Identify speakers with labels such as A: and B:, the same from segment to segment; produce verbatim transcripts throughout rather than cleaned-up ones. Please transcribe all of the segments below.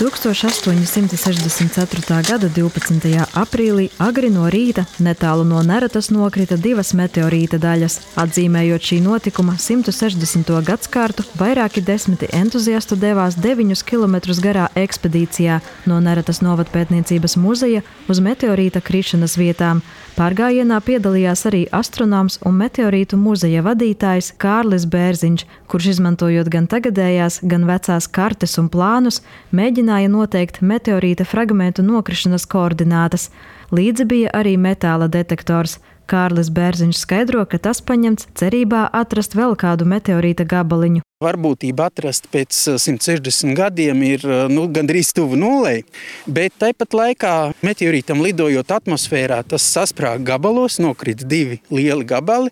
A: tūkstoš astoņi simti sešdesmit ceturtā gada divpadsmitajā aprīlī agri no rīta netālu no Neretas nokrita divas meteorīta daļas. Atzīmējot šī notikuma simtu sešdesmito gadskārtu, vairāki desmiti entuziastu devās deviņus kilometrus garā ekspedīcijā no Neretas novadpētniecības muzeja uz meteorīta krišanas vietām. Pārgājienā piedalījās arī astronoms un meteorītu muzeja vadītājs Kārlis Bērziņš, kurš izmantojot gan tagadējās, gan vecās kartes un plānus, mēģināja noteikt meteorīta fragmentu nokrišanas koordinātas. Līdzi bija arī metāla detektors. Kārlis Bērziņš skaidro, ka tas paņemts cerībā atrast vēl kādu meteorīta gabaliņu.
B: Varbūtība atrast pēc simt sešdesmit gadiem ir nu, gandrīz tuvu nulei, bet tāpat laikā meteorītam lidojot atmosfērā tas sasprāga gabalos, nokrita divi lieli gabali.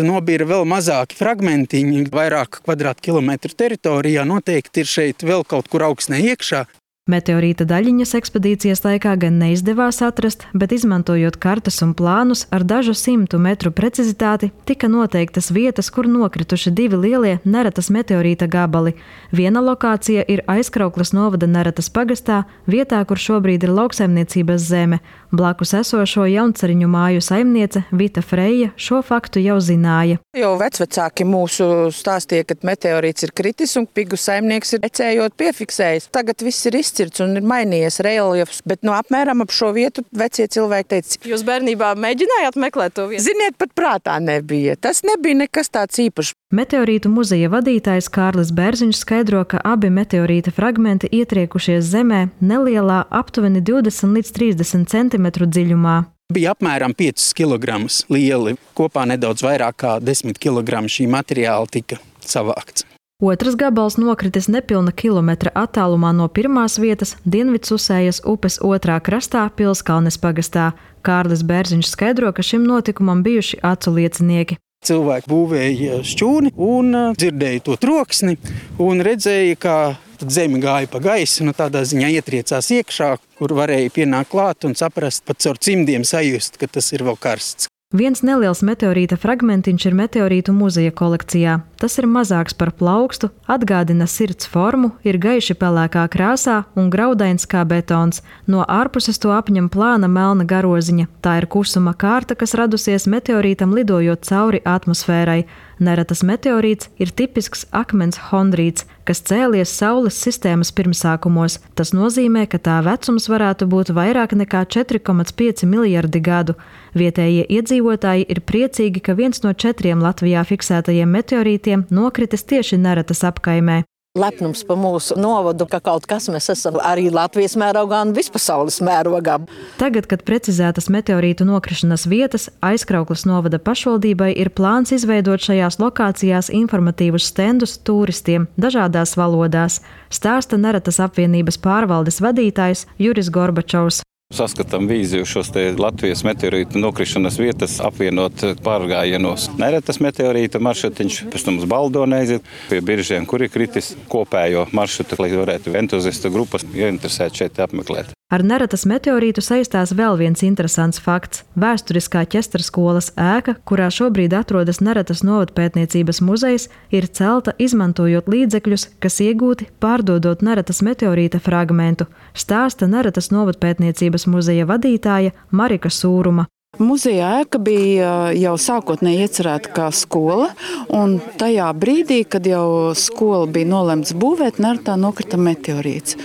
B: Nobīra vēl mazāki fragmentiņi, vairāk kvadrātkilometru teritorijā, noteikti ir šeit vēl kaut kur augstnē iekšā.
A: Meteorīta daļiņas ekspedīcijas laikā gan neizdevās atrast, bet izmantojot kartes un plānus ar dažu simtu metru precizitāti, tika noteiktas vietas, kur nokrituši divi lielie Neretas meteorīta gabali. Viena lokācija ir Aizkraukles novada Neretas pagastā, vietā, kur šobrīd ir lauksaimniecības zeme. Blakus esošo Jauncariņu māju saimniece Vita Freja šo faktu jau zināja.
C: Jau vecvecāki mūsu stāstīja, ka meteorīts ir kritis un pigu saimnieks ir ecējot piefiksējis. Tagad viss ir izcirts un ir mainījies reljefs, bet no apmēram ap šo vietu vecie cilvēki teica.
D: Jūs bērnībā mēģinājāt meklēt to vietu?
C: Ziniet, pat prātā nebija. Tas nebija nekas tāds īpašs.
A: Meteorītu muzeja vadītājs Kārlis Bērziņš skaidro, ka abi meteorīta fragmenti ietriekušies zemē nelielā aptuveni divdesmit līdz trīsdesmit centimetru dziļumā.
B: Bija apmēram piecus kilogramus lieli, kopā nedaudz vairāk kā desmit kilogramu šī materiāla tika savākts.
A: Otrs gabals nokritis nepilna kilometra attālumā no pirmās vietas Dienvidsusējas upes otrā krastā Pilskalnes pagastā. Kārlis Bērziņš skaidro, ka šim notikumam bijuši acu liecinieki.
B: Cilvēki būvēja šķūni un dzirdēja to troksni un redzēja, kā zeme gāja pa gaisu, nu tādā ziņā ietriecās iekšā, kur varēja pienākt klāt un saprast, pat caur cimdiem sajust, ka tas ir vēl karsts.
A: Viens neliels meteorīta fragmentiņš ir meteorītu muzeja kolekcijā. Tas ir mazāks par plaukstu, atgādina sirds formu, ir gaiši pelēkā krāsā un graudains kā betons. No ārpuses to apņem plāna melna garoziņa. Tā ir kusuma kārta, kas radusies meteorītam lidojot cauri atmosfērai. Neretas meteorīts ir tipisks akmens hondrīts, kas cēlies Saules sistēmas pirmsākumos. Tas nozīmē, ka tā vecums varētu būt vairāk nekā četri komats pieci miljardi gadu. Vietējie iedzīvotāji ir priecīgi, ka viens no četriem Latvijā fiksētajiem meteorītiem nokritis tieši Neretas apkaimē.
C: Lepnums pa mūsu novadu, ka kaut kas mēs esam arī Latvijas mērogā un vispasaules mērogā.
A: Tagad, kad precizētas meteorītu nokrišanas vietas, Aizkraukles novada pašvaldībai ir plāns izveidot šajās lokācijās informatīvus stendus turistiem dažādās valodās, stāsta Neretas apvienības pārvaldes vadītājs Juris Gorbačovs.
E: Saskatām vīziju šos te Latvijas meteorītu nokrišanas vietas apvienot pārgājienos. Neretas meteorīta maršrutiņš, pēc tam uz Baldoni aiziet pie biržiem, kur ir kritis kopējo maršrutu, lai varētu entuziastu grupas ieinteresēt šeit apmeklēt.
A: Ar Neretas meteorītu saistās vēl viens interesants fakts. Vēsturiskā ķesterskolas ēka, kurā šobrīd atrodas Neretas novadpētniecības muzejs, ir celta izmantojot līdzekļus, kas iegūti pārdodot Neretas meteorīta fragmentu, stāsta Neretas novadpētniecības muzeja vadītāja Marika Sūruma.
F: Muzeja ēka bija jau sākotnēji iecerēta kā skola, un tajā brīdī, kad jau skola bija nolemts būvēt, Neretā nokrita meteorīts.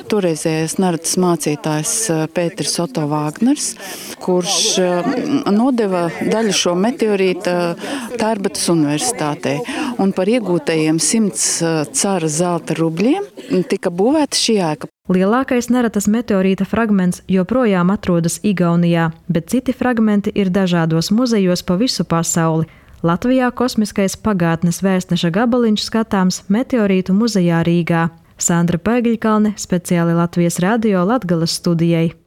F: Toreizējais Neretas mācītājs Pēters Oto Vāgners, kurš nodeva daļu šo meteorīta Tērbatas universitātei. Un par iegūtajiem simts cara zelta rubļiem tika būvēta šī ēka.
A: Lielākais Neretas meteorīta fragments joprojām atrodas Igaunijā, bet citi fragmenti ir dažādos muzejos pa visu pasauli. Latvijā kosmiskais pagātnes vēstneša gabaliņš skatāms Meteorītu muzejā Rīgā. Sandra Pēgiļkalne, speciāli Latvijas radio Latgales studijai.